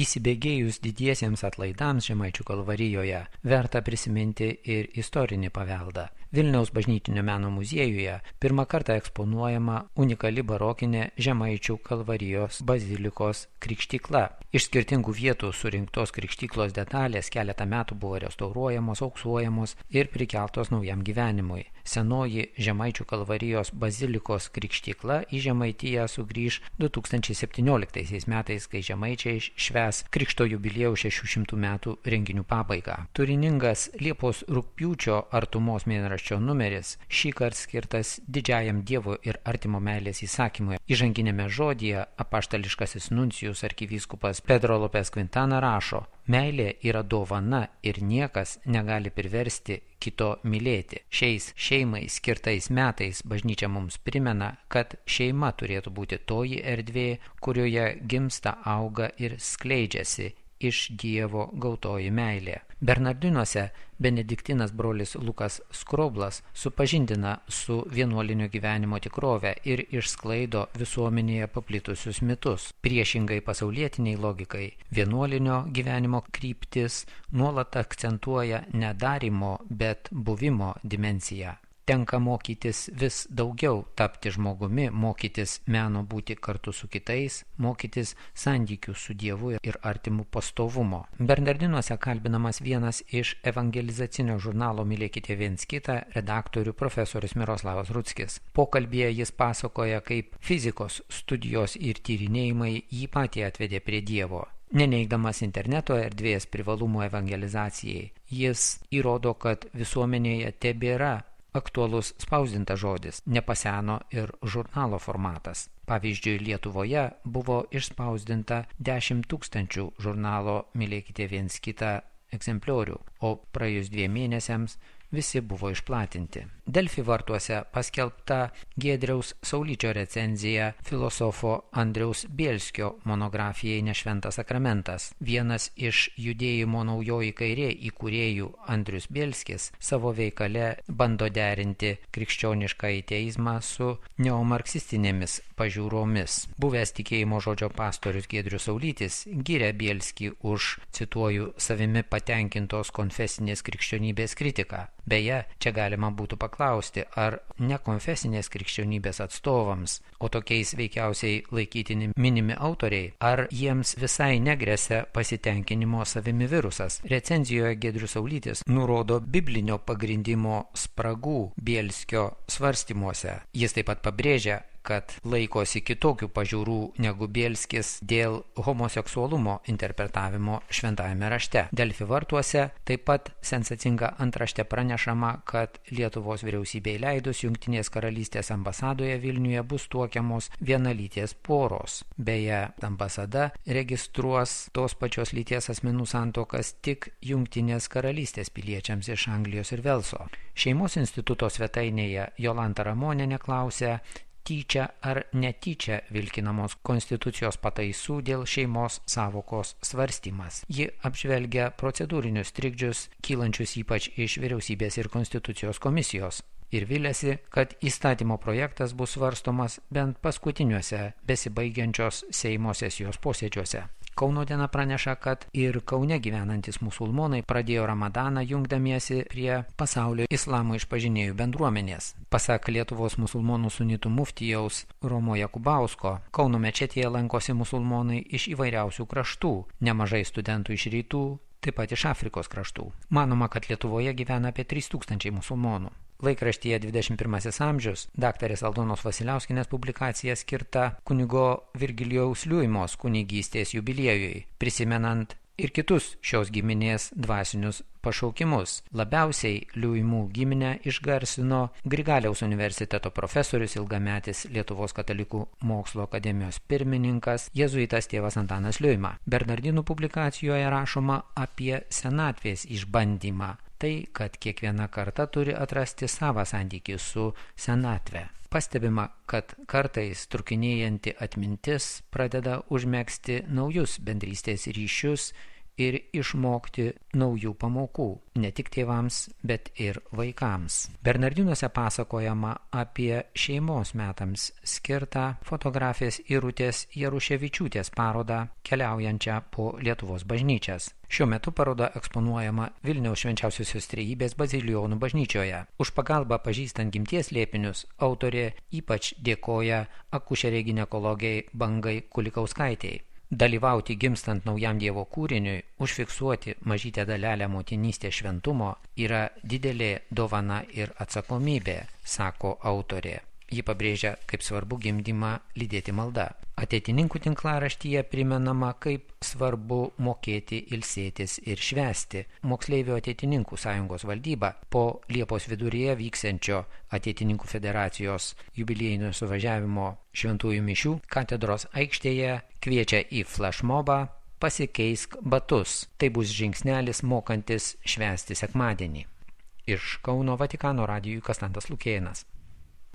Įsibėgėjus didiesiems atlaidams Žemaičių Kalvarijoje verta prisiminti ir istorinį paveldą. Vilniaus bažnytinio meno muziejuje pirmą kartą eksponuojama unikali barokinė Žemaičių Kalvarijos bazilikos krikštykla. Iš skirtingų vietų surinktos krikštyklos detalės keletą metų buvo restauruojamos, auksuojamos ir prikeltos naujam gyvenimui. Senoji Žemaičių Kalvarijos bazilikos krikštykla į Žemaitiją sugrįž 2017 metais, kai žemaičiai švęs Krikšto jubiliejų 600 metų renginių pabaigą. Turiningas Liepos-rugpjūčio artumos mėnraščio numeris šįkart skirtas didžiajam Dievo ir artimo meilės įsakymui. Įžanginėme žodyje apaštališkasis nuncijus arkivyskupas Pedro Lopes Quintana rašo: meilė yra dovana ir niekas negali priversti kito mylėti. Šiais šeimai skirtais metais bažnyčia mums primena, kad šeima turėtų būti toji erdvė, kurioje gimsta, auga ir skleidžiasi iš Dievo gautoji meilė. Bernardinuose benediktinas brolis Lukas Skroblas supažindina su vienuolinio gyvenimo tikrove ir išsklaido visuomenėje paplitusius mitus. Priešingai pasaulietiniai logikai, vienuolinio gyvenimo kryptis nuolat akcentuoja ne darymo, bet buvimo dimensiją. Tenka mokytis vis daugiau tapti žmogumi, mokytis meno būti kartu su kitais, mokytis santykių su Dievu ir artimu pastovumo. Bernardinuose kalbinamas vienas iš evangelizacinio žurnalo Mylėkite viens kitą redaktorių profesorius Miroslavas Rutskis. Pokalbyje jis pasakoja, kaip fizikos studijos ir tyrinėjimai jį patį atvedė prie Dievo. Neneigdamas interneto erdvės privalumų evangelizacijai, jis įrodo, kad visuomenėje tebėra aktualus spausdintas žodis, nepaseno ir žurnalo formatas. Pavyzdžiui, Lietuvoje buvo išspausdinta 10 000 žurnalo Mylėkite viens kitą egzempliorių, o praėjus 2 mėnesiams visi buvo išplatinti. Delfi vartuose paskelbta Giedriaus Saulyčio recenzija filosofo Andriaus Bielskio monografijai Nešventas sakramentas. Vienas iš judėjimo Naujoji kairė įkūrėjų Andrius Bielskis savo veikale bando derinti krikščionišką ateizmą su neomarksistinėmis pažiūromis. Buvęs tikėjimo žodžio pastorius Giedrius Saulytis giria Bielskį už, cituoju, savimi patenkintos konfesinės krikščionybės kritiką. Beje, čia galima būtų paklausti, ar nekonfesinės krikščionybės atstovams, o tokiais veikiausiai laikytini minimi autoriai, ar jiems visai negresia pasitenkinimo savimi virusas. Recenzijoje Giedrius Saulytis nurodo biblinio pagrindimo spragų Bielskio svarstymuose. Jis taip pat pabrėžia, kad laikosi kitokių pažiūrų negu Bielskis dėl homoseksualumo interpretavimo šventajame rašte. Delfi vartuose taip pat sensacinga antraštė pranešama, kad Lietuvos vyriausybei leidus Jungtinės karalystės ambasadoje Vilniuje bus tuokiamos vienalytės poros. Beje, ambasada registruos tos pačios lyties asmenų santuokas tik Jungtinės karalystės piliečiams iš Anglijos ir Velso. Šeimos instituto svetainėje Jolanta Ramonienė klausia, tyčia ar netyčia vilkinamos konstitucijos pataisų dėl šeimos sąvokos svarstymas. Ji apžvelgia procedūrinius trikdžius, kylančius ypač iš vyriausybės ir konstitucijos komisijos. Ir viliasi, kad įstatymo projektas bus svarstomas bent paskutiniuose besibaigiančios Seimo sesijos posėdžiuose. Kauno diena praneša, kad ir Kaune gyvenantis musulmonai pradėjo Ramadaną jungdamiesi prie pasaulio islamo išpažinėjų bendruomenės. Pasak Lietuvos musulmonų sunitų muftijaus Romo Jakubausko, Kauno mečetėje lankosi musulmonai iš įvairiausių kraštų, nemažai studentų iš rytų, taip pat iš Afrikos kraštų. Manoma, kad Lietuvoje gyvena apie 3000 musulmonų. Laikraštyje 21 amžius daktarės Aldonos Vasiliauskienės publikacija skirta kunigo Virgilijaus Liuimos kunigystės jubiliejui, prisimenant ir kitus šios giminės dvasinius pašaukimus. Labiausiai Liuimų giminę išgarsino Grigaliaus universiteto profesorius, ilgametis Lietuvos katalikų mokslo akademijos pirmininkas, jėzuitas tėvas Antanas Liuima. Bernardinų publikacijoje rašoma apie senatvės išbandymą. Tai, kad kiekviena karta turi atrasti savą santykį su senatve. Pastebima, kad kartais trukinėjanti atmintis pradeda užmegzti naujus bendrystės ryšius ir išmokti naujų pamokų, ne tik tėvams, bet ir vaikams. Bernardinuose pasakojama apie šeimos metams skirtą fotografės Irutės Jaruševičiūtės parodą keliaujančią po Lietuvos bažnyčias. Šiuo metu paroda eksponuojama Vilniaus Švenčiausiosios Trejybės Bazilijonų bažnyčioje. Už pagalbą pažįstant gimties slėpinius autorė ypač dėkoja akušerei ginekologei Bangai Kulikauskaitei. Dalyvauti gimstant naujam Dievo kūriniui, užfiksuoti mažytę dalelę motinystės šventumo yra didelė dovana ir atsakomybė, sako autorė. Ji pabrėžia, kaip svarbu gimdymą lydėti malda. Ateitininkų tinklaraštyje primenama, kaip svarbu mokėti ilsėtis ir švęsti. Moksleivių ateitininkų sąjungos valdyba po Liepos viduryje vyksiančio Ateitininkų federacijos jubiliejinio suvažiavimo šventųjų mišių katedros aikštėje kviečia į flashmobą Pasikeisk batus. Tai bus žingsnelis mokantis švęsti sekmadienį. Iš Kauno Vatikano radijui Konstantas Lukėnas.